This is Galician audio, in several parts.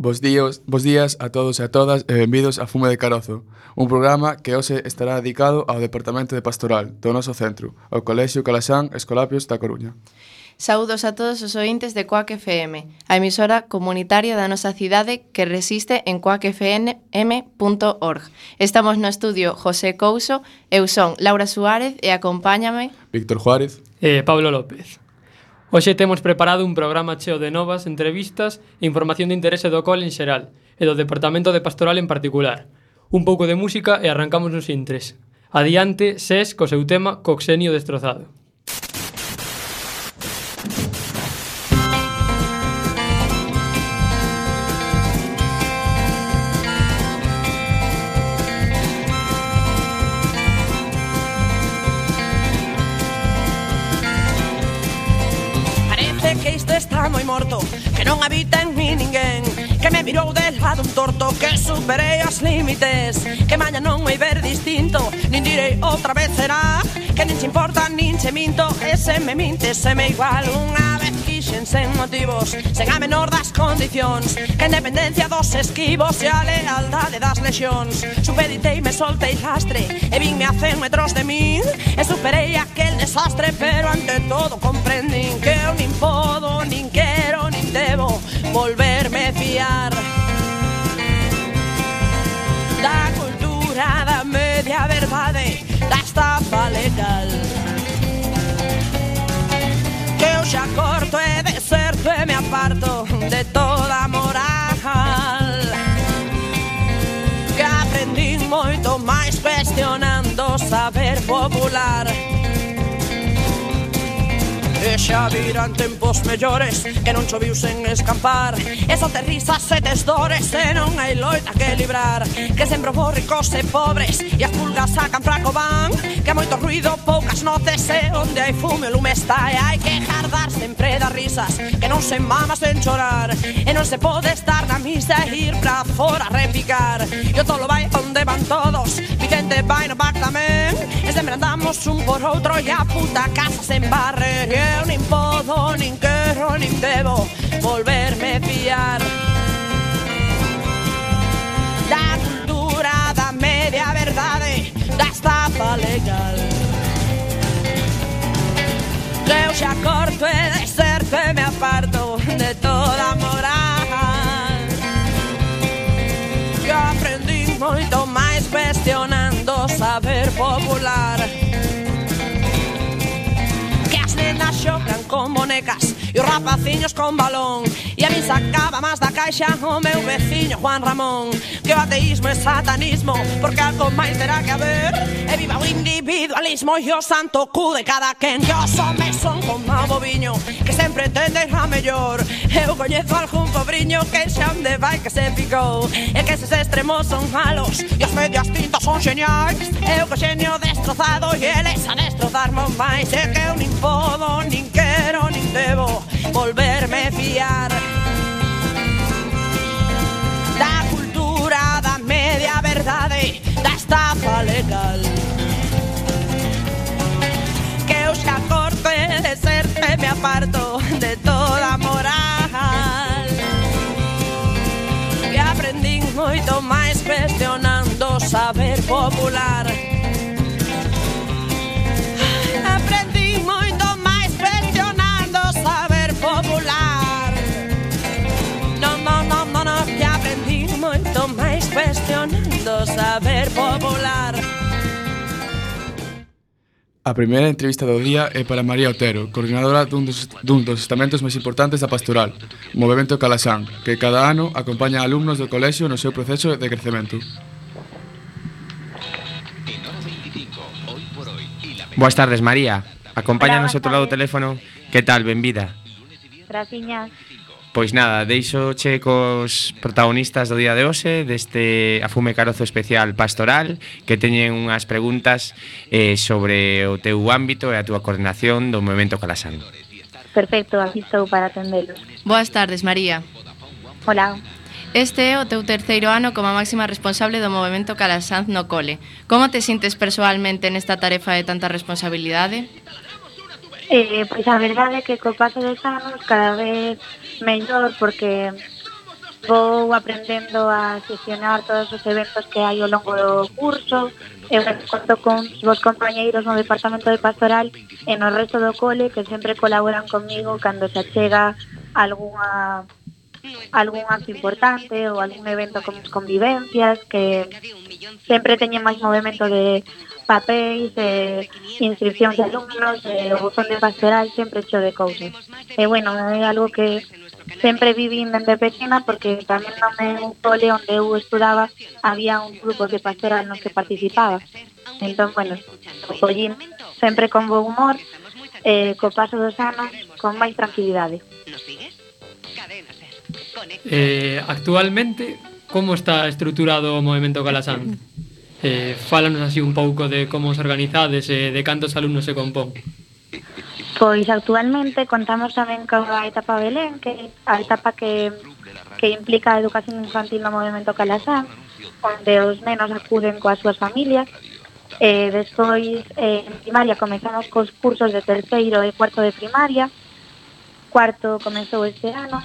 Bos días a todos e a todas e benvidos a Fume de Carozo, un programa que hoxe estará dedicado ao Departamento de Pastoral do noso centro, ao Colexio Calaxán Escolapios da Coruña. Saúdos a todos os ointes de Coac FM, a emisora comunitaria da nosa cidade que resiste en coacfm.org. Estamos no estudio José Couso, eu son Laura Suárez e acompáñame Víctor Juárez e Pablo López. Hoxe temos preparado un programa cheo de novas entrevistas e información de interese do cole en xeral e do Departamento de Pastoral en particular. Un pouco de música e arrancamos nos intres. Adiante, SES, co seu tema Coxenio destrozado. Está moi morto, que non habita en mí ninguén, que me mirou de lado un torto, que superei os límites, que maña non vai ver distinto, nin direi outra vez será, que nin se importa nin se minto, e se me mintes se me igual unha vez quixen sen motivos, sen a menor das condicións, que a independencia dos esquivos e a lealdade das lexións, supeditei me soltei lastre, e vinme a 100 metros de min, e superei aquel desastre, pero ante todo comprendín que eu nin podo, nin quero, nin debo volverme fiar da cultura da media verdade, da estafa legal, que eu xa corto e deserto e me aparto de toda moral, que aprendín moito máis cuestionando o saber popular. E xa virán tempos mellores, que non choviu sen escampar, e só te risas e tes dores, e non hai loita que librar, que sempre vos ricos e pobres, e as pulgas sacan fraco van, que moito ruido, poucas noces, e onde hai fume o lume está, e hai que jardar sempre das risas, que non se mama sen chorar, e non se pode estar na misa e ir pra fora a repicar, e o tolo vai onde van todos, Vicente vai no back tamén, e sempre andamos un por outro, e a puta casa se embarre, eu nin podo, nin quero, nin debo volverme fiar da cultura da media verdade, da estafa legal, que eu xa corto e deserto e me aparto de toda moral, que aprendi moito máis cuestionando o saber popular, nenas xocan con bonecas e os rapaciños con balón, e a min sacaba máis da caixa o meu veciño Juan Ramón, que o ateísmo é satanismo, porque algo máis terá que haber, e viva o individualismo e o santo cu de cada quen, que os homes son como o boviño, que sempre entenden a mellor, eu coñezo algún pobriño que xa onde vai que se picou, e que eses extremos son malos e os medias tintas son xeniais, eu co xenio destrozado e eles a destrozarme máis, e que eu nin podo, nin quero, nin debo volverme fiar da cultura da media verdade, da estafa legal, que eu xa corto e deserto e me aparto de toda moral, que aprendín moito máis cuestionando o saber popular, aprendín moito máis cuestionando o saber popular, no, que aprendín moito máis cuestionando o saber popular. A primeira entrevista do día é para María Otero, coordinadora dun dos estamentos máis importantes da pastoral, o Movemento Calaxán, que cada ano acompaña a alumnos do colexio no seu proceso de crecemento. Boas tardes, María. Acompáñanos ao outro lado do teléfono. Que tal? Benvida. Graciñas. Pois nada, deixoche cos protagonistas do día de hoxe deste Afume Carozo especial pastoral, que teñen unhas preguntas sobre o teu ámbito e a túa coordinación do Movemento Calaxán. Perfecto, aquí estou para atendelos. Boas tardes, María. Hola. Este é o teu terceiro ano como máxima responsable do Movemento Calaxán no cole. Como te sintes persoalmente nesta tarefa de tanta responsabilidade? Pois a verdade é que co paso dos anos cada vez mellor, porque vou aprendendo a xestionar todos os eventos que hai ao longo do curso, eu conto con vos compañeiros no departamento de pastoral e no resto do cole que sempre colaboran comigo cando se achega algún acto importante ou algún evento como as convivencias, que sempre teñen máis movimento de papéis, inscripcións de alumnos, o buzón de pastoral sempre cheo de cousas. E bueno, é algo que sempre vivín dende pequena porque tamén no meu cole onde eu estudaba había un grupo de pastoral nos que participaba. Entón, bueno, collín sempre con bo humor, co paso dos anos con máis tranquilidade. Actualmente, como está estruturado o movemento Calasán? Fálanos así un pouco de como os organizades e de cantos alumnos se compón. Pois actualmente contamos tamén coa etapa Belén, que a etapa que implica a educación infantil no movemento Calasán, onde os nenos acuden coas súas familias. Despois, en primaria, comezamos cos cursos de terceiro e cuarto de primaria. Cuarto comezou este ano,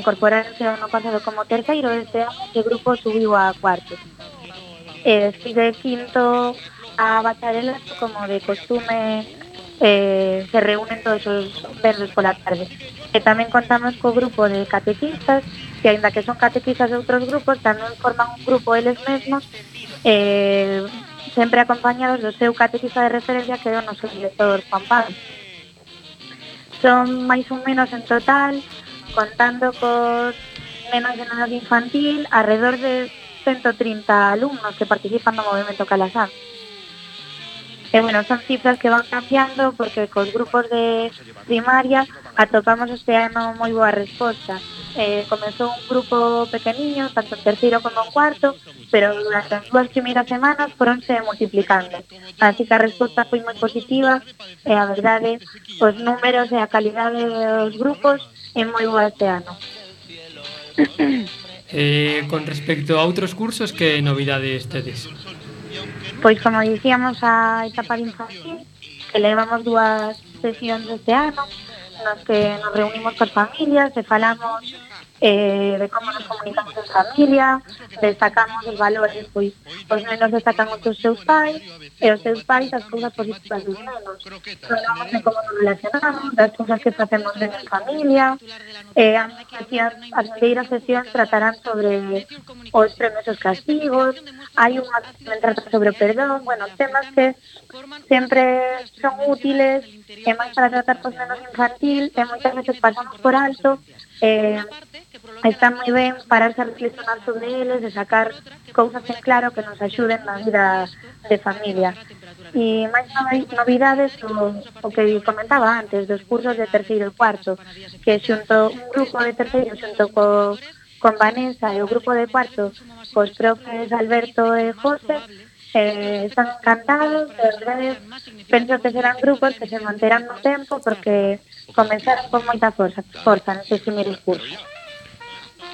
incorporarse o ano pasado como terceiro, este ano ese grupo subiu a cuarto. Despois de quinto a bacharelato, como de costume, se reúnen todos os venres pola tarde. E tamén contamos co grupo de catequistas, que aínda que son catequistas de outros grupos, tamén forman un grupo eles mesmos, sempre acompañados do seu catequista de referencia, que é o noso director, Juan Pablo. Son máis ou menos en total, contando cos nenos de edade infantil, alrededor de 130 alumnos que participan no movemento Calasán. E bueno, son cifras que van cambiando porque cos grupos de primaria atopamos este ano moi boa resposta. Comezou un grupo pequeniño, tanto en terceiro como en cuarto, pero durante as 2 primeiras semanas foronse multiplicando. Así que a resposta foi moi positiva e a verdade, os números e a calidade dos grupos é moi boa este ano. Con respecto a outros cursos, que novidades tedes? Pois como dicíamos, a etapa de infantil, que levamos 2 sesións este ano, nos que nos reunimos con familias e falamos de como nos comunicamos en familia, destacamos os valores, pois os nenos destacan os seus pais e os seus pais as cousas positivas dos nenos. Falamos de como nos relacionamos, das cousas que facemos en familia. As primeiras sesións tratarán sobre os premios e os castigos, hai unha que trata sobre o perdón, bueno, temas que sempre son útiles e máis para tratar cos nenos infantil e moitas veces pasamos por alto. Está moi ben pararse a reflexionar sobre eles e sacar cousas en claro que nos axuden na vida de familia. E máis novidades o que comentaba antes dos cursos de terceiro e cuarto, que xunto un grupo de terceiro xunto con Vanessa e o grupo de cuarto cos profes Alberto e José están encantados, de verdade penso que serán grupos que se manterán no tempo porque comenzaron con moita forza nestes primeiros cursos.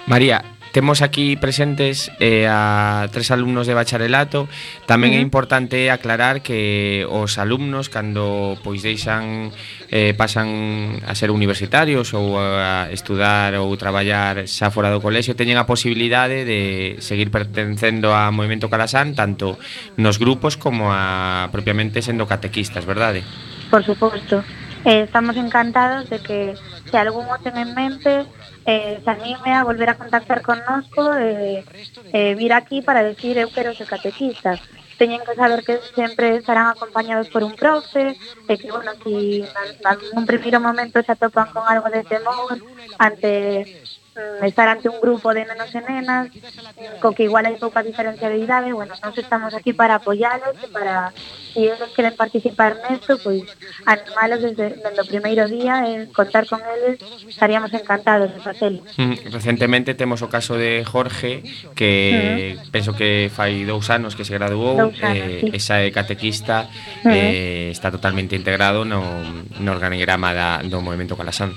María, temos aquí presentes a 3 alumnos de bacharelato. Tamén é importante aclarar que os alumnos, cando pois deixan pasan a ser universitarios ou a estudar ou traballar xa fora do colexio, teñen a posibilidade de seguir pertencendo ao movemento Calasán, tanto nos grupos como a propiamente sendo catequistas, verdade? Por suposto. Estamos encantados de que se algún o ten en mente se anime a volver a contactar connosco vir aquí para decir eu quero ser catequista. Teñen que saber que sempre estarán acompañados por un profe e que, bueno, si nun primeiro momento se atopan con algo de temor ante estar ante un grupo de nenos e nenas co que igual hai pouca diferencia de idade, bueno, nós estamos aquí para apoialos e para, se eles queren participar nesto, pois animalos desde o primeiro día e contar con eles, estaríamos encantados de facelo. Recentemente temos o caso de Jorge, que penso que fai 2 anos que se graduou, sí. Esa catequista está totalmente integrado no organigrama do movemento Calasán.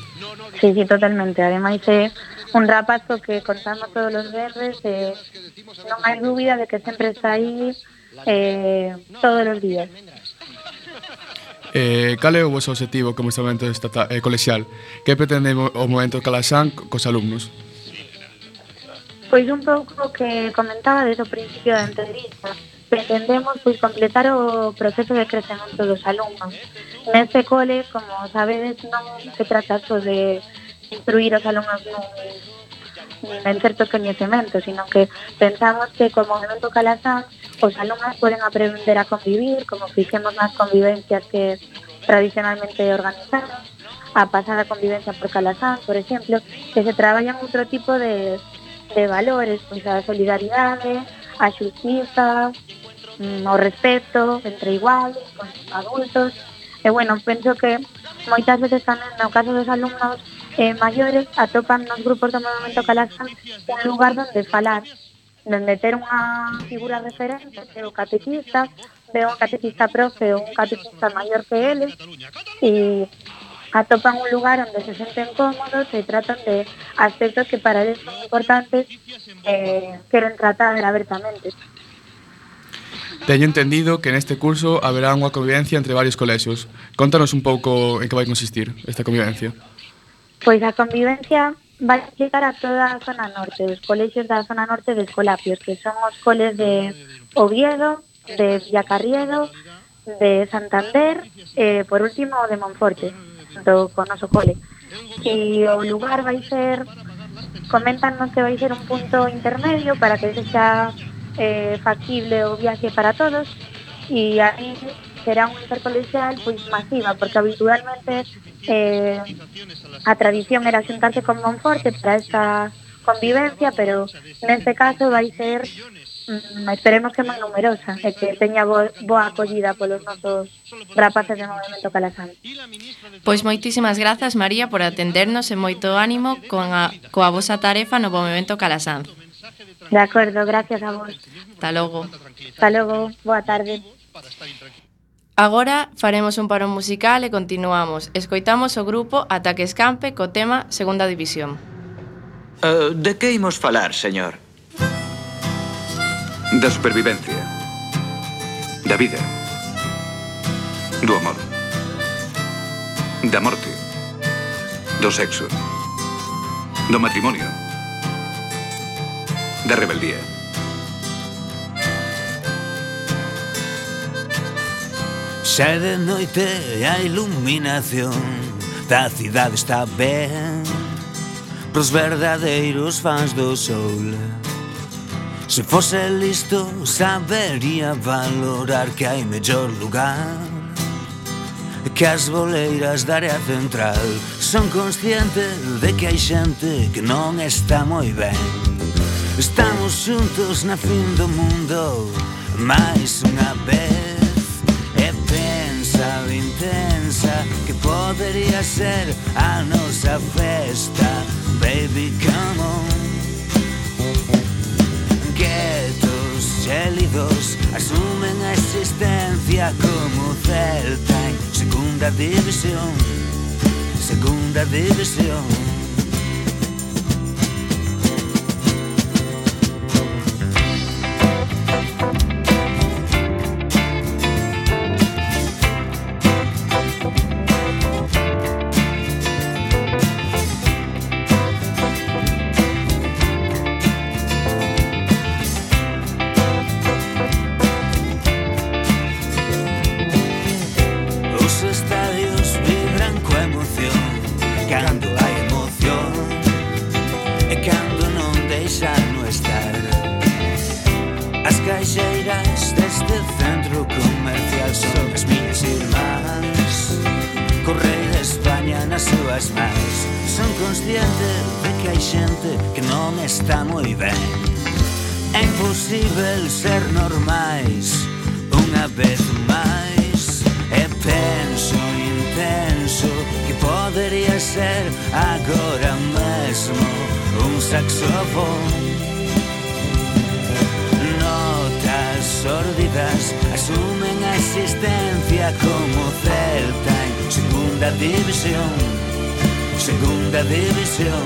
Sí, totalmente, ademais é un rapazo que contamos todos os verdes e non hai dúbida de que sempre está aí todos os días. Cal é o vosso objetivo como estamento colexial? Que pretende o movemento Calasán cos alumnos? Pois un pouco o que comentaba desde o principio da entrevista. Pretendemos pois completar o proceso de crecemento dos alumnos. Neste cole, como sabedes, non se trata só de instruir os alumnos en certos coñecementos, sino que pensamos que como Movemento Calasanz os alumnos poden aprender a convivir, como fixemos nas convivencias que tradicionalmente organizamos, a pasada convivencia por Calasanz, por exemplo, que se traballan outro tipo de valores, pois a solidaridade, a xustiza, o respeto entre iguais, con adultos. E bueno, penso que moitas veces tamén no caso dos alumnos maiores atopan nos grupos do Movemento Calasanz un lugar donde falar, donde ter unha figura referente, que o catequista, ve un catequista profe ou un catequista maior que eles, e atopan un lugar onde se senten cómodos e tratan de aspectos que para eles son importantes, queren tratar abertamente. Teño entendido que neste curso haberá unha convivencia entre varios colexios. Contanos un pouco en que vai consistir esta convivencia. Pois a convivencia vai implicar a toda a zona norte, os colexios da zona norte de Escolapios, que son os coles de Oviedo, de Villacarriedo, de Santander, por último o de Monforte, junto con noso cole. E o lugar vai ser, coméntanos que vai ser un punto intermedio para que sexa factible o viaxe para todos, e aí será un intercolexial pois masiva, porque habitualmente a tradición era xuntarse con Monforte para esta convivencia, pero neste caso vai ser esperemos que moi numerosa e que teña boa acollida polos nosos rapaces de Movemento Calasanz. Pois moitísimas grazas, María, por atendernos e moito ánimo coa vosa tarefa no Movemento Calasanz. De acordo, gracias a vos. Hasta logo. Hasta logo, boa tarde. Agora faremos un parón musical e continuamos. Escoitamos o grupo Ataque Escampe co tema Segunda División. De que imos falar, señor? Da supervivencia, da vida, do amor, da morte, do sexo, do matrimonio, da rebeldía. Xa de noite a iluminación da cidade está ben pros verdadeiros fans do sol. Se fose listo sabería valorar que hai mellor lugar que as boleiras da área central. Son consciente de que hai xente que non está moi ben. Estamos xuntos na fin do mundo máis unha vez. E pensa o intensa que podería ser a nosa festa. Baby, come on. Quietos, gélidos, asumen a existencia como Celta en segunda división, segunda división. Está moi ben. É imposible ser normais unha vez máis. E penso intenso que podería ser agora mesmo un saxofón. Notas sórdidas asumen a existencia como Celta en segunda división, segunda división.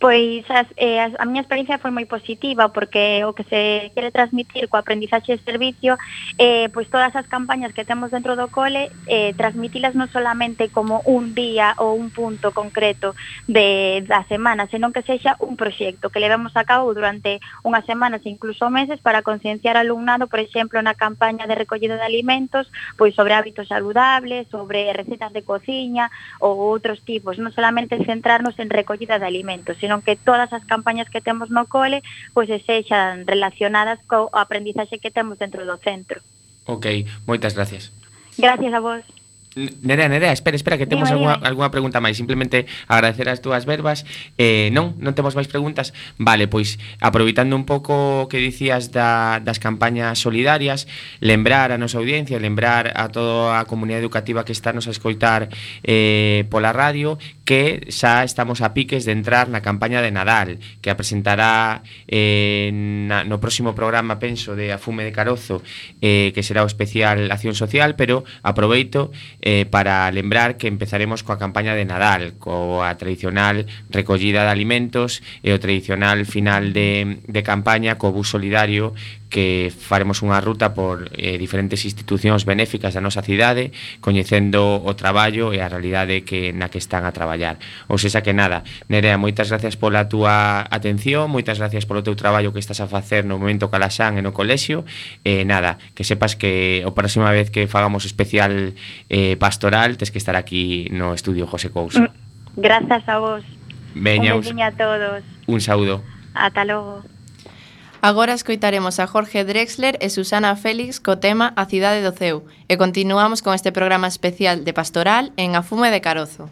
Pois a miña experiencia foi moi positiva porque o que se quere transmitir coa aprendizaxe de servicio pois todas as campañas que temos dentro do cole transmitilas non solamente como un día ou un punto concreto da semana, senón que sexa un proxecto que levemos a cabo durante unhas semanas e incluso meses para concienciar ao alumnado, por exemplo, na campaña de recollida de alimentos, pois sobre hábitos saludables, sobre recetas de cociña ou outros tipos, non solamente centrarnos en recollida de alimentos, senón que todas as campañas que temos no cole pois sexan relacionadas co aprendizaxe que temos dentro do centro. Ok, moitas gracias. Gracias a vos. Nerea, espera, que temos algunha pregunta máis. Simplemente agradecer as túas verbas. Non temos máis preguntas. Vale, pois, aproveitando un pouco o que dicías das campañas solidarias, lembrar a nosa audiencia, lembrar a toda a comunidade educativa que está nos a escoitar pola radio, que xa estamos a piques de entrar na campaña de Nadal, que a presentará no próximo programa, penso, de Afume de Carozo, que será o especial Acción Social, pero aproveito para lembrar que empezaremos coa campaña de Nadal, coa tradicional recollida de alimentos e o tradicional final de campaña co bus solidario, que faremos unha ruta por diferentes institucións benéficas da nosa cidade, coñecendo o traballo e a realidade na que están a traballar. Ou seja que nada, Nerea, moitas gracias pola túa atención, moitas gracias polo teu traballo que estás a facer no Movemento Calaxán e no colexio, e nada, que sepas que a próxima vez que fagamos especial pastoral, tes que estar aquí no estudio José Couso. Grazas a vos. Veña, un besiño a todos. Un saúdo. Ata logo. Agora escoitaremos a Jorge Drexler e Susana Félix co tema A cidade do ceu e continuamos con este programa especial de Pastoral en Afume de Carozo.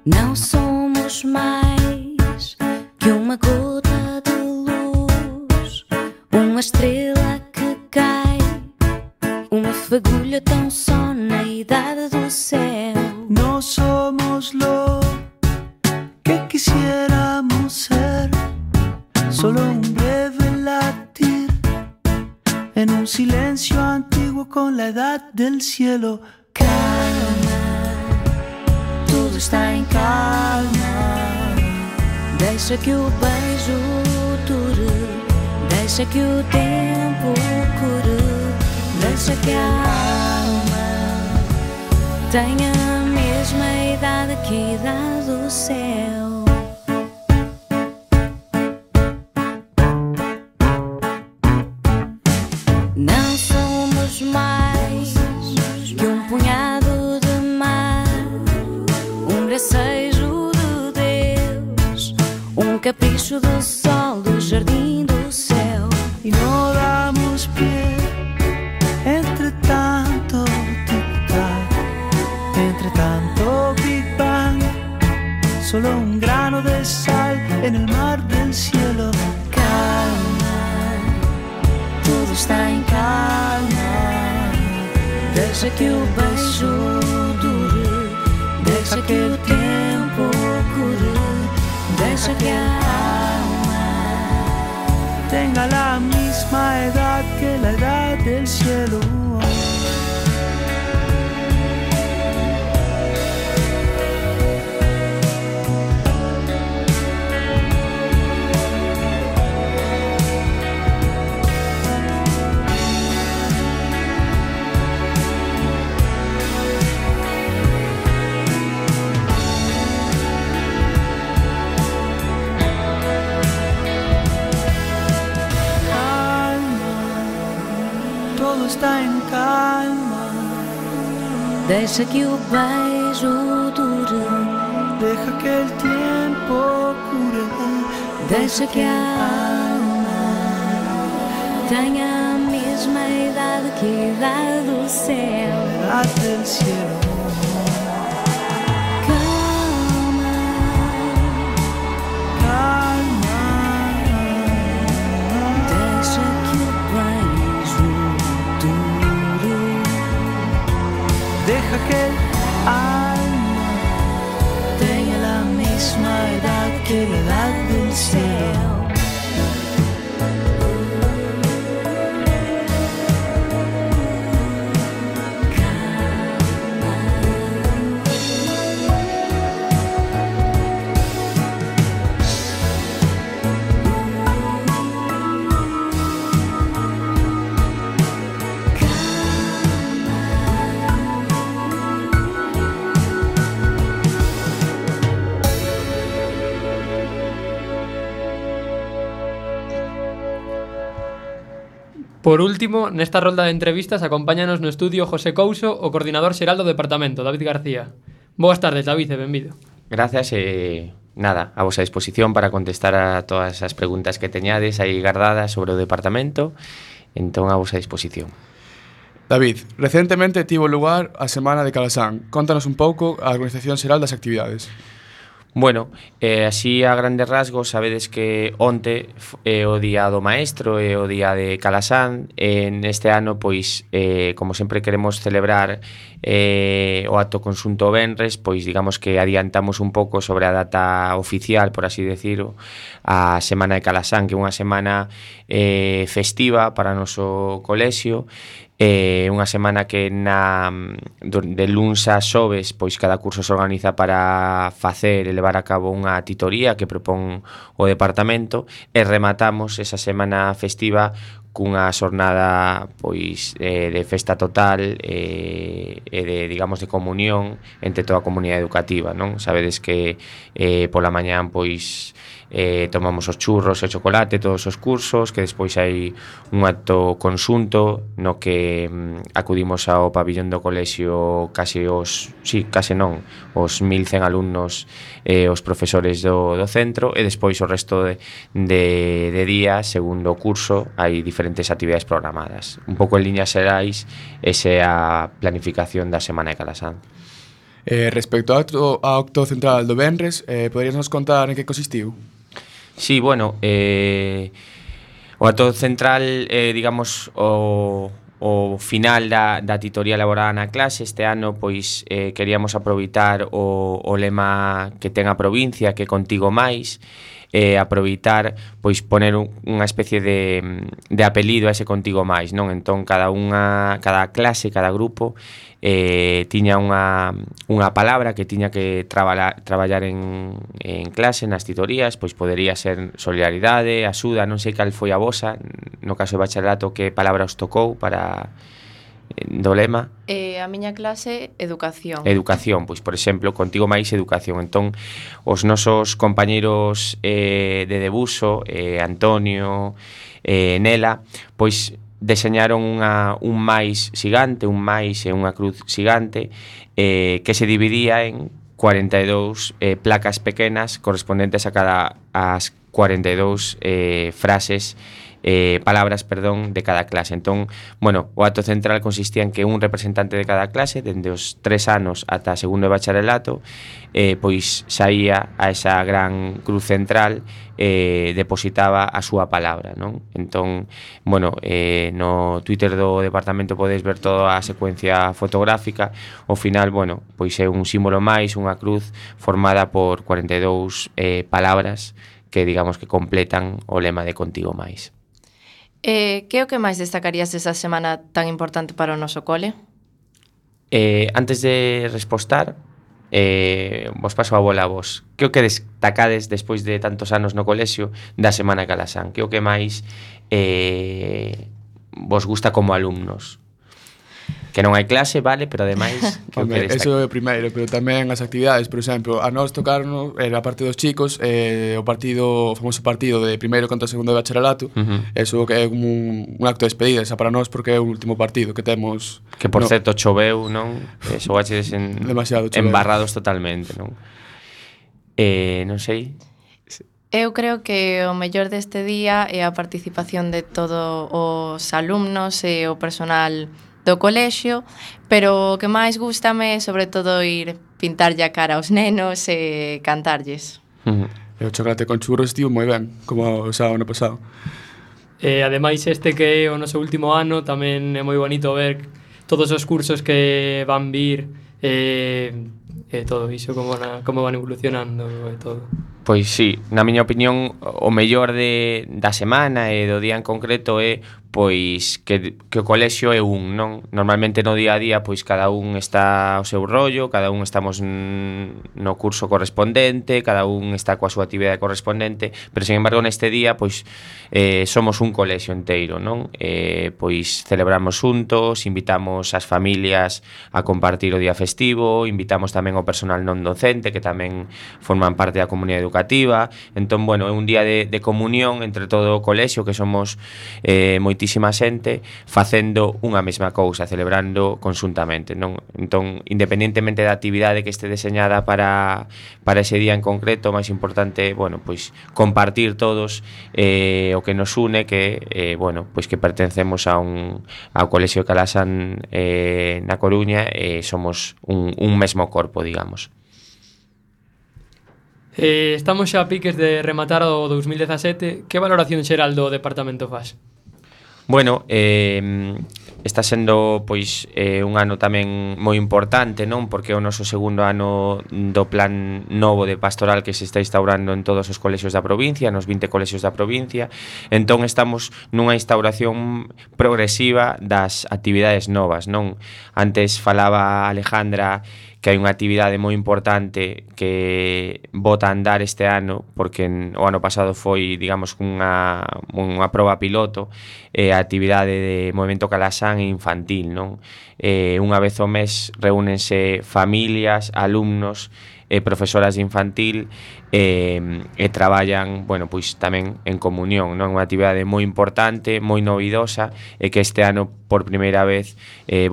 Não somos mais que uma gota de luz, uma estrela que cai, uma fagulha tão só na idade do céu. No somos lo que quisiéramos ser, solo un breve latir en un silencio antiguo con la edad del cielo. Calma, tudo está em calma. Deixa que o beijo dure, deixa que o tempo cure, deixa que a alma tenha a mesma idade que a idade do céu. Não somos mais que um punhado de mar, um gracejo de Deus, um capricho do sol, do jardim do céu. Y no damos pie entre tanto tic-tac, entre tanto Big Bang, solo un grano de sal en el mar del cielo. Calma, tudo está em calma. Deixa que o beijo dure, deixa que o tempo cure, deixa que a alma tenga la misma edad que la edad del cielo. Todo está en calma. Deixa que o beijo dure, deja que el tiempo cure, deixa que a alma tenha a mesma idade que a idade do céu. La edad del cielo. Calma, calma. Deixa que o beijo dure, deja que el alma tenha a mesma idade que a idade do céu. Por último, nesta rolda de entrevistas acompáñanos no estudio José Couso, o coordinador xeral do departamento, David García. Boas tardes, David, e benvido. Gracias nada, a vosa disposición para contestar a todas as preguntas que teñades aí guardadas sobre o departamento, entón a vosa disposición. David, recentemente tivo lugar a Semana de Calasán. Contanos un pouco a organización xeral das actividades. Bueno, así a grandes rasgos, sabedes que onte é o día do maestro, é o día de Calasán. Neste ano, pois, como sempre queremos celebrar o acto conxunto venres, pois digamos que adiantamos un pouco sobre a data oficial, por así decirlo, a Semana de Calasán, que é unha semana festiva para o noso colexio. Unha semana que de luns a xoves pois cada curso se organiza para facer e levar a cabo unha titoría que propón o departamento, e rematamos esa semana festiva cunha xornada pois de festa total e de, digamos, de comunión entre toda a comunidade educativa, non? Sabedes que pola mañán pois tomamos os churros e o chocolate todos os cursos, que despois hai un acto conxunto no que acudimos ao pabillón do colexio case os 1100 alumnos e os profesores do centro, e despois o resto de días, segundo o curso, hai diferentes actividades programadas. Un pouco en liñas xerais, esa é a planificación da Semana de Calasán. Respecto ao acto central do venres, poderías nos contar en que consistiu? Sí, bueno, o acto central, digamos, o final da titoría elaborada na clase. Este ano, pois, queríamos aproveitar o lema que ten a provincia, que contigo máis, aproveitar, pois, poner unha especie de apelido a ese contigo máis, non? Entón, cada clase, cada grupo tiña unha palabra que tiña que traballar en clase, nas titorías. Pois podería ser solidaridade, axuda, non sei cal foi a vosa, no caso de bacharelato, que palabra os tocou para do lema. A miña clase, educación. Educación, pois, por exemplo, contigo máis educación. Entón, os nosos compañeiros de debuxo, Antonio, Nela, pois deseñaron un máis xigante, un máis e unha cruz xigante, que se dividía en 42 placas pequenas correspondentes a cada as 42 frases, palabras, perdón, de cada clase. Entón, bueno, o acto central consistía en que un representante de cada clase, dende os 3 anos ata segundo de bacharelato, pois saía a esa gran cruz central, depositaba a súa palabra, non? Entón, bueno, no Twitter do departamento podedes ver toda a secuencia fotográfica. Ao final, bueno, pois é un símbolo máis, unha cruz formada por 42 palabras que, digamos, que completan o lema de contigo máis. Que é o que máis destacarías desa semana tan importante para o noso cole? Antes de respostar, vos paso a bola a vos. Que o que destacades despois de tantos anos no colexio da Semana de Calasán? Que o que máis vos gusta como alumnos? Que non hai clase, vale, pero ademais Hombre, eso é o primeiro, pero tamén as actividades. Por exemplo, a nós tocarnos era a parte dos chicos, o famoso partido de primeiro contra segundo de bacharelato. Eso que é un acto de despedida, esa para nós, porque é o último partido que temos. Que por certo choveu, non? Xogaches embarrados totalmente, non? Non sei. Eu creo que o mellor deste día é a participación de todos os alumnos e o personal do colexio, pero o que máis gústame é sobre todo ir pintarlle a cara aos nenos e cantarlles. E o chocolate con churros estivo moi ben, como o ano pasado. Ademais, este que é o noso último ano, tamén é moi bonito ver todos os cursos que van vir, todo iso, como van evolucionando e todo. Pois sí, na miña opinión, o mellor da semana e do día en concreto é pois que o colexio é non? Normalmente no día a día pois cada un está ao seu rollo, cada un estamos no curso correspondente, cada un está coa súa actividade correspondente, pero sin embargo neste día pois somos un colexio inteiro, non? Pois celebramos xuntos, invitamos as familias a compartir o día festivo, invitamos tamén ao personal non docente que tamén forman parte da comunidade educativa educativa. Entón, bueno, é un día de comunión entre todo o colexio, que somos moitísima xente, facendo unha mesma cousa, celebrando conxuntamente, non? Entón, independentemente da actividade que este deseñada para ese día en concreto, o máis importante, bueno, pois compartir todos o que nos une, que bueno, pois que pertencemos ao Colexio de Calasan na Coruña, somos un mesmo corpo, digamos. Estamos xa a piques de rematar o 2017. Que valoración xeral do departamento faz? Bueno, está sendo pois un ano tamén moi importante, non? Porque é o noso segundo ano do plan novo de pastoral que se está instaurando en todos os colexios da provincia, nos 20 colexios da provincia. Entón estamos nunha instauración progresiva das actividades novas, non? Antes falaba Alejandra que hai unha actividade moi importante que bota a andar este ano, porque o ano pasado foi, digamos, unha proba piloto, a actividade de Movemento Calasán infantil, non? Unha vez ao mes reúnense familias, alumnos, profesoras de infantil e traballan, bueno, pois tamén en comunión, non? Unha actividade moi importante, moi novidosa e que este ano por primeira vez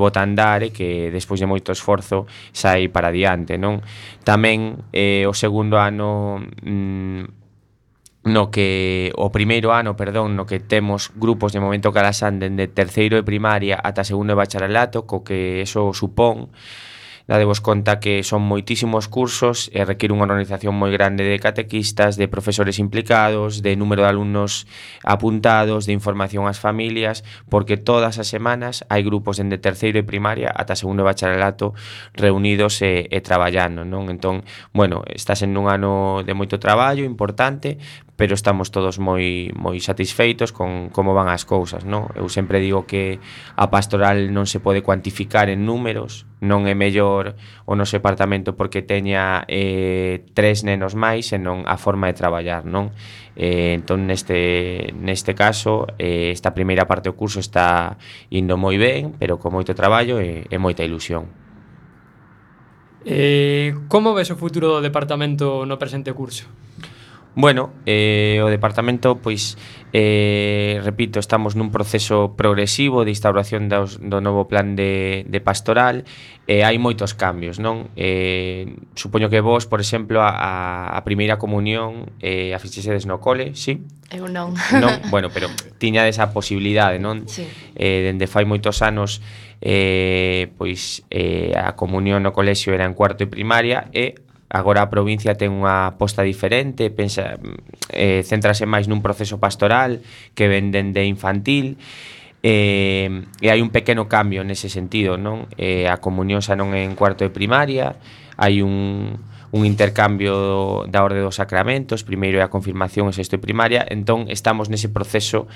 bota a andar e que despois de moito esforzo sai para adiante, non? Tamén o segundo ano no que o primeiro ano, perdón, no que temos grupos de Movemento Calasán dende terceiro de primaria ata segundo de bacharelato, co que eso supón. Dadevos conta que son moitísimos cursos e requiere unha organización moi grande de catequistas, de profesores implicados, de número de alumnos apuntados, de información ás familias, porque todas as semanas hai grupos dende terceiro de primaria ata segundo de bacharelato reunidos e traballando, non? Entón, bueno, está sendo un ano de moito traballo importante, pero estamos todos moi satisfeitos con como van as cousas, non? Eu sempre digo que a pastoral non se pode cuantificar en números, non é mellor o noso departamento porque teña 3 nenos máis, senón a forma de traballar, non? Entón, neste caso, esta primeira parte do curso está indo moi ben, pero con moito traballo e moita ilusión. Como ves o futuro do departamento no presente curso? Bueno, o departamento, pois, repito, estamos nun proceso progresivo de instauración do novo plan de pastoral e hai moitos cambios, non? Supoño que vos, por exemplo, a primeira comunión a fixesedes no cole, sí? Eu non. Non, bueno, pero tiñades a posibilidade, non? Sí. Dende fai moitos anos pois a comunión no colexio era en cuarto de primaria e agora a provincia ten unha aposta diferente, céntrase máis nun proceso pastoral que ven dende infantil e hai un pequeno cambio nese sentido, non? A comunión xa non é en cuarto de primaria, hai un intercambio da orde dos sacramentos, primeiro é a confirmación en sexto de primaria, entón estamos nese proceso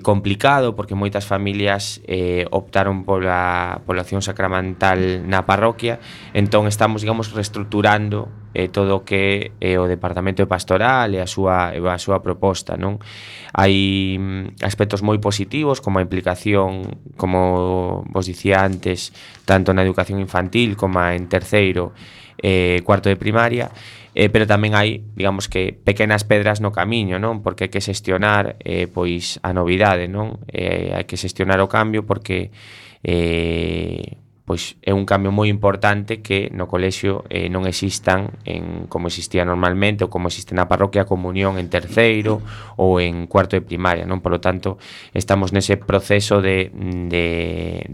complicado porque moitas familias optaron pola acción sacramental na parroquia, entón estamos, digamos, reestructurando todo o que é o departamento de pastoral e a súa proposta, non? Hai aspectos moi positivos como a implicación, como vos dicía antes, tanto na educación infantil como en terceiro cuarto de primaria, pero tamén hai, digamos que, pequenas pedras no camiño, non? Porque hai que xestionar pois a novidade, non? Hai que xestionar o cambio porque pois é un cambio moi importante que no colexio non existan como existía normalmente ou como existe na parroquia comunión en terceiro ou en cuarto de primaria, non? Por lo tanto, estamos nese proceso de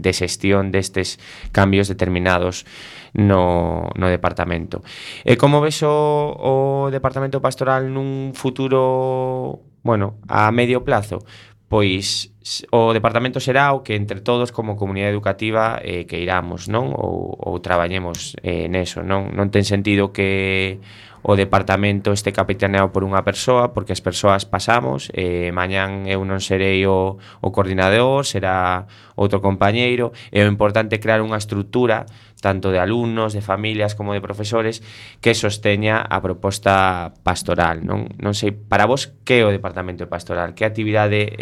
xestión destes cambios determinados no departamento. E como ves o departamento pastoral nun futuro, bueno, a medio plazo? Pois o departamento será o que entre todos como comunidade educativa que iramos, non? Ou traballemos neso, non? Non ten sentido que o departamento este capitaneado por unha persoa, porque as persoas pasamos, mañán eu non serei o coordinador, será outro compañeiro, e o importante é crear unha estrutura tanto de alumnos, de familias como de profesores que sosteña a proposta pastoral, non? Non sei, para vos, que é o departamento pastoral? Que actividade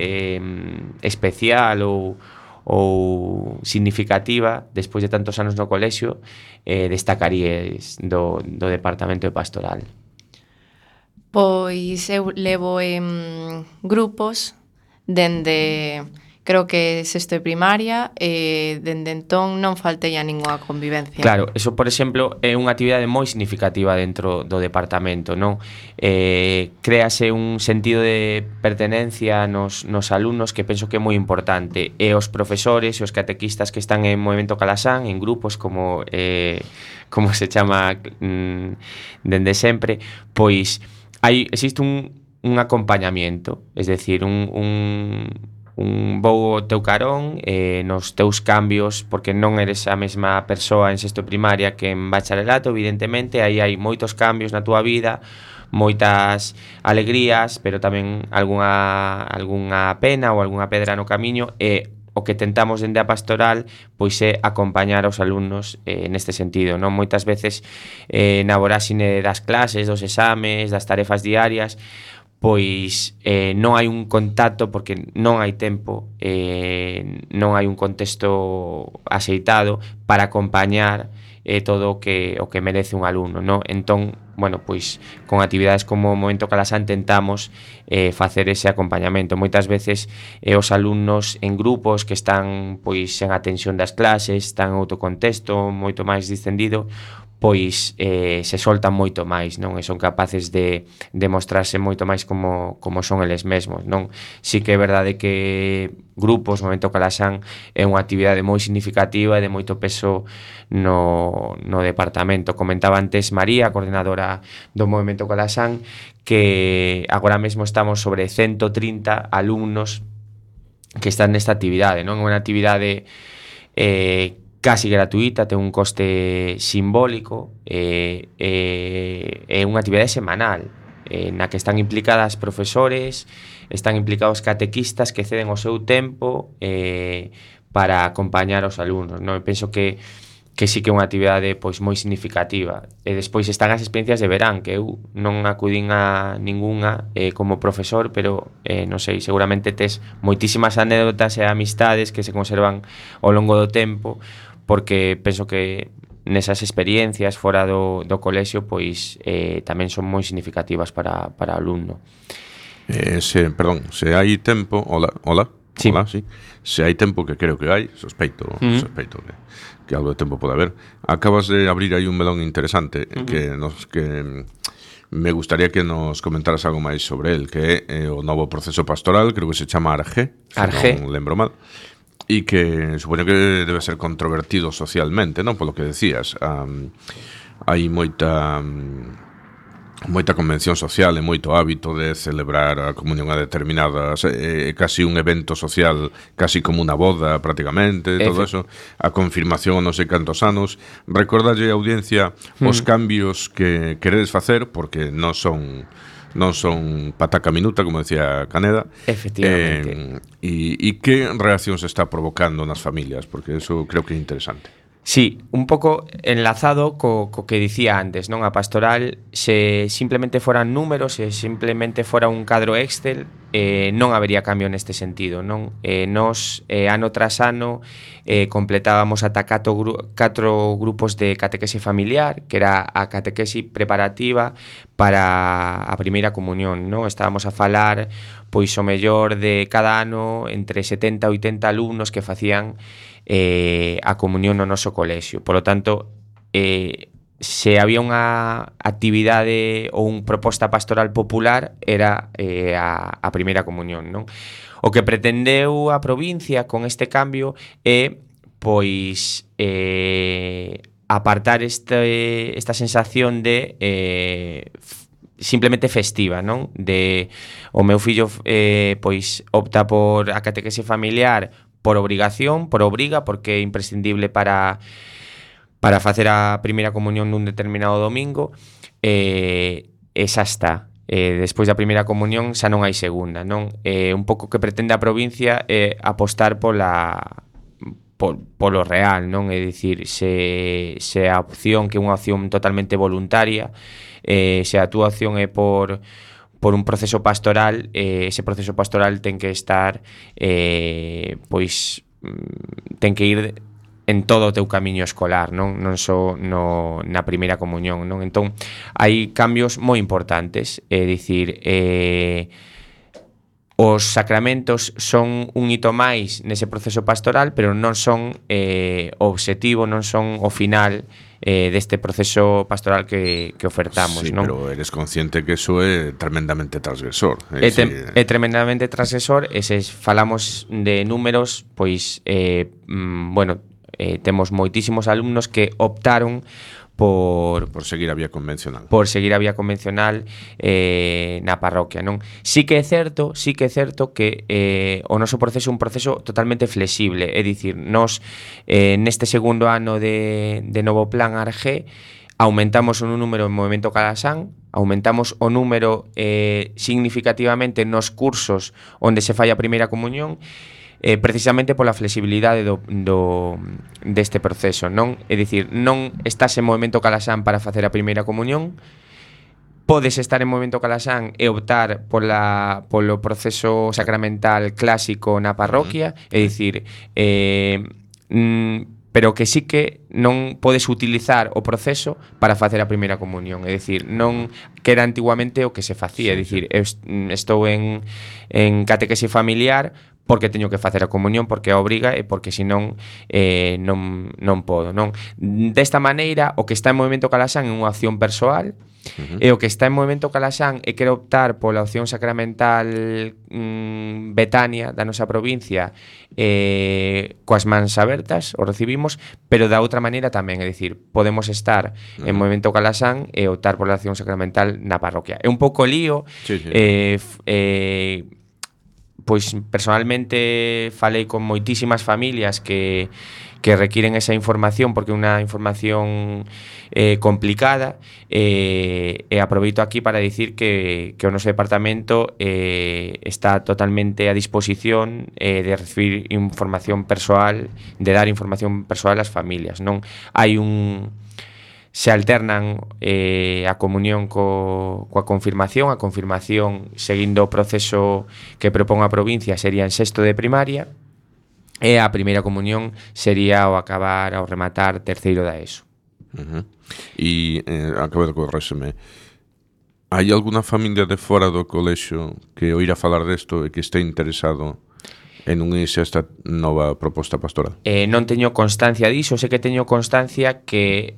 especial ou significativa despois de tantos anos no colexio destacaríais do departamento de pastoral? Pois eu levo en grupos dende, creo que sexto de primaria, e dende entón non faltei a ningunha convivencia. Claro, eso, por exemplo, é unha actividade moi significativa dentro do departamento, non? Créase un sentido de pertenencia nos alumnos que penso que é moi importante, e os profesores e os catequistas que están en Movemento Calasán, en grupos como se chama dende sempre, pois existe un acompañamiento, es decir, vou ao teu carón nos teus cambios, porque non eres a mesma persoa en sexto de primaria que en bacharelato, evidentemente, aí hai moitos cambios na túa vida, moitas alegrías, pero tamén algunha pena ou algunha pedra no camiño, e o que tentamos dende a pastoral pois é acompañar aos alumnos neste sentido, non? Moitas veces na voráxine das clases, dos exames, das tarefas diarias, pois non hai un contacto porque non hai tempo, non hai un contexto axeitado para acompañar todo o que merece un alumno, non? Entón, bueno, pois con actividades como o Momento Calasán tentamos facer ese acompañamento. Moitas veces os alumnos en grupos que están pois en atención das clases, están en outro contexto moito máis distendido, pois se soltan moito máis, non? E son capaces de mostrarse moito máis como son eles mesmos, non? Si que é verdade que grupos, Momento Calasán, é unha actividade moi significativa e de moito peso no departamento. Comentaba antes María, coordinadora do Movemento Calasán, que agora mesmo estamos sobre 130 alumnos que están nesta actividade, non? É unha actividade casi gratuita, ten un coste simbólico, é unha actividade semanal na que están implicadas profesores, están implicados catequistas que ceden o seu tempo para acompañar os alumnos, non? Eu penso que sí que é unha actividade pois moi significativa. E despois están as experiencias de verán, que eu non acudín a ningunha como profesor, pero non sei, seguramente tes moitísimas anécdotas e amistades que se conservan ao longo do tempo, porque penso que nesas experiencias fora do colexio pois tamén son moi significativas para o alumno. Se hai tempo, hola, sí. Se hai tempo, que creo que hai, sospeito que algo de tempo pode haber, acabas de abrir aí un melón interesante que me gustaría que nos comentaras algo máis sobre el, que é o novo proceso pastoral, creo que se chama Arge, non lembro mal, e que supoño que debe ser controvertido socialmente, non? Polo que decías, hai moita convención social e moito hábito de celebrar a comunión a determinadas, casi un evento social, casi como unha boda prácticamente, todo eso, a confirmación non sei cantos anos. Recordalle a audiencia os cambios que queredes facer, porque non son pataca minuta, como decía Caneda. Efectivamente. E que reaccións está provocando nas familias, porque eso creo que é interesante. Sí, un pouco enlazado co que dicía antes, non? A pastoral, se simplemente foran números, se simplemente fora un cadro Excel, non habería cambio neste sentido, non? Nos, ano tras ano, completábamos ata 4 grupos de catequese familiar, que era a catequese preparativa para a primeira comunión, non? Estábamos a falar, pois, o mellor de cada ano, entre 70 e 80 alumnos que facían a comunión no noso colexio. Por lo tanto, se había unha actividade ou unha proposta pastoral popular, era a primeira comunión, non? O que pretendeu a provincia con este cambio é, pois, apartar esta sensación de simplemente festiva, non? De o meu fillo pois opta por a catequese familiar por obrigación, por obriga, porque é imprescindible para facer a primeira comunión nun determinado domingo, e xa está. Despois da primeira comunión xa non hai segunda, non? Un pouco que pretende a provincia é apostar polo real, non? É dicir, se a opción, que é unha opción totalmente voluntaria, se a túa opción é por un proceso pastoral, ese proceso pastoral ten que estar, pois, ten que ir en todo o teu camiño escolar, non só na primeira comunión, non? Entón, hai cambios moi importantes, é dicir, os sacramentos son un hito máis nese proceso pastoral, pero non son o obxectivo, non son o final deste proceso pastoral que ofertamos, sí, non? pero eres consciente que eso é tremendamente transgresor. É tremendamente transgresor, e se falamos de números, pois, temos moitísimos alumnos que optaron por seguir a vía convencional. Por seguir a vía convencional na parroquia, non? Sí que é certo que o noso proceso é un proceso totalmente flexible, é dicir, nós neste segundo ano de novo plan ARG aumentamos o número en Movemento Calasán, aumentamos o número significativamente nos cursos onde se fai a primeira comunión, precisamente pola flexibilidade deste proceso, non? É dicir, non estás en Movemento Calasán para facer a primeira comunión, podes estar en Movemento Calasán e optar polo proceso sacramental clásico na parroquia, é dicir, pero que sí que non podes utilizar o proceso para facer a primeira comunión, é dicir, non que era antiguamente o que se facía, é dicir, estou en catequese familiar porque teño que facer a comunión, porque a obriga e porque senón non podo, non? Desta maneira, o que está en Movemento Calasán é unha opción persoal, e o que está en Movemento Calasán e quere optar pola opción sacramental Betania da nosa provincia, coas mans abertas, o recibimos, pero da outra maneira tamén, é dicir, podemos estar en Movemento Calasán e optar pola opción sacramental na parroquia. É un pouco lío, pois personalmente falei con moitísimas familias que requiren esa información porque é unha información complicada, e aproveito aquí para dicir que o noso departamento está totalmente a disposición de recibir información persoal, de dar información persoal ás familias, non? Se alternan a comunión coa confirmación. A confirmación, seguindo o proceso que propón a provincia, sería en sexto de primaria, e a primeira comunión sería ao acabar, ao rematar terceiro da ESO. E acabo de corréseme, hai alguna familia de fora do colexio que oíra falar desto e que este interesado en unirse a esta nova proposta pastoral? Non teño constancia diso, sei que teño constancia que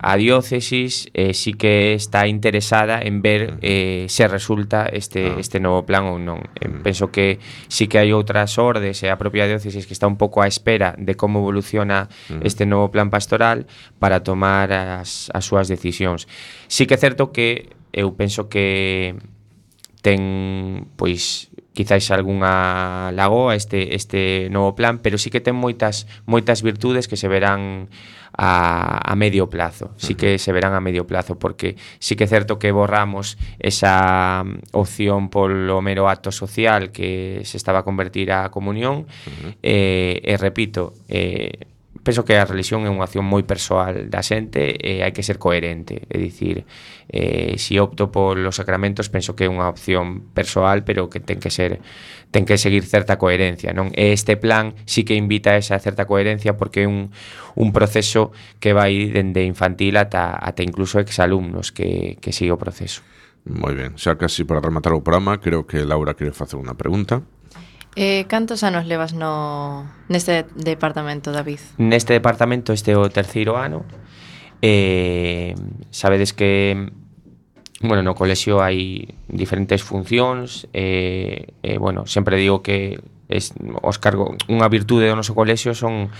a diócesis sí que está interesada en ver se resulta este novo plan ou non. Penso que sí que hai outras ordes e a propia diócesis que está un pouco á espera de como evoluciona este novo plan pastoral para tomar as súas decisións. Sí que é certo que eu penso que ten, pois, quizáis algunha lagoa este novo plan, pero sí que ten moitas virtudes que se verán a medio plazo. Sí que se verán a medio plazo, porque sí que é certo que borramos esa opción polo mero acto social que se estaba a convertir a comunión, e repito, penso que a religión é unha acción moi persoal da xente e hai que ser coherente, é dicir, se opto polos sacramentos penso que é unha opción persoal, pero que ten que seguir certa coherencia, non? E este plan sí que invita a esa certa coherencia porque é un proceso que vai dende infantil ata incluso exalumnos que sigue o proceso. Moi ben, xa casi para rematar o programa, creo que Laura quere facer unha pregunta. Cantos anos levas neste departamento, David? Neste departamento este é o terceiro ano. Sabedes que no colexio hai diferentes funcións, sempre digo que os cargos, unha virtude do noso colexio son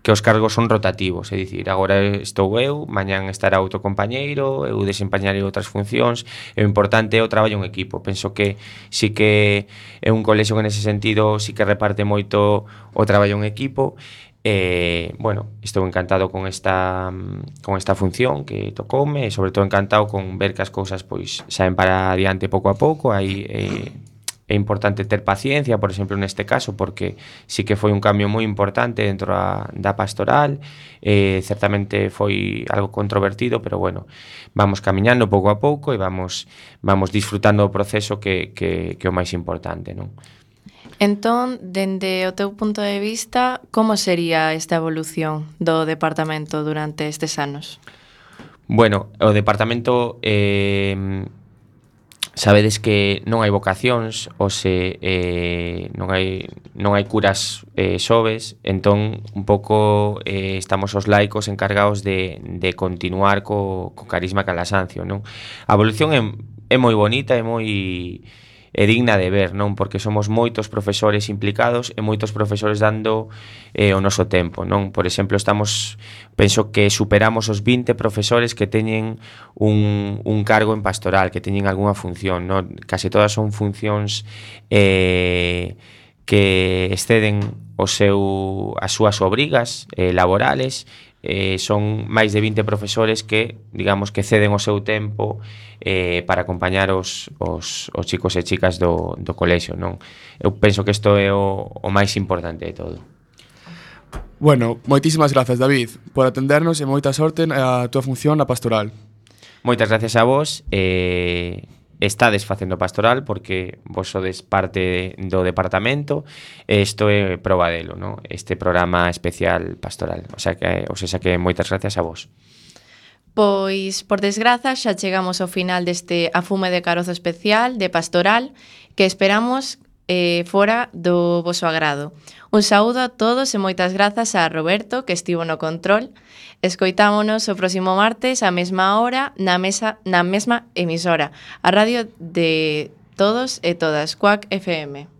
que os cargos son rotativos, é dicir, agora estou eu, mañán estará outro compañeiro, eu desempeñarei outras funcións, e o importante é o traballo en equipo. Penso que sí que é un colexio que nese sentido sí que reparte moito o traballo en equipo. Estou encantado con esta función que tocoume, e sobre todo encantado con ver que as cousas pois saen para adiante pouco a pouco. É importante ter paciencia, por exemplo, neste caso, porque sí que foi un cambio moi importante dentro da pastoral, certamente foi algo controvertido, pero vamos camiñando pouco a pouco e vamos disfrutando do proceso que é o máis importante, non? Entón, dende o teu punto de vista, como sería esta evolución do departamento durante estes anos? Bueno, o departamento sabedes que non hai vocacións, non hai curas soves, entón un pouco estamos os laicos encargados de continuar co carisma Calasancio, non? A evolución é moi bonita, é digna de ver, non? Porque somos moitos profesores implicados e moitos profesores dando o noso tempo, non? Por exemplo, penso que superamos os 20 profesores que teñen un cargo en pastoral, que teñen algunha función, non? Case todas son funcións que exceden as súas obrigas laborales. Son máis de 20 profesores que, digamos, que ceden o seu tempo para acompañar os chicos e chicas do colexio, non? Eu penso que isto é o máis importante de todo. Bueno, moitísimas grazas, David, por atendernos e moita sorte a túa función na pastoral. Moitas gracias a vos. Estades facendo pastoral porque vos sodes parte do departamento e isto é proba delo, non? Este programa especial pastoral. O sea que moitas gracias a vos. Pois, por desgraza, xa chegamos ao final deste Afume de Carozo especial de pastoral que esperamos fora do voso agrado. Un saúdo a todos e moitas grazas a Roberto, que estivo no control. Escoitámonos o próximo martes á mesma hora na mesma emisora, a radio de todos e todas, Cuac FM.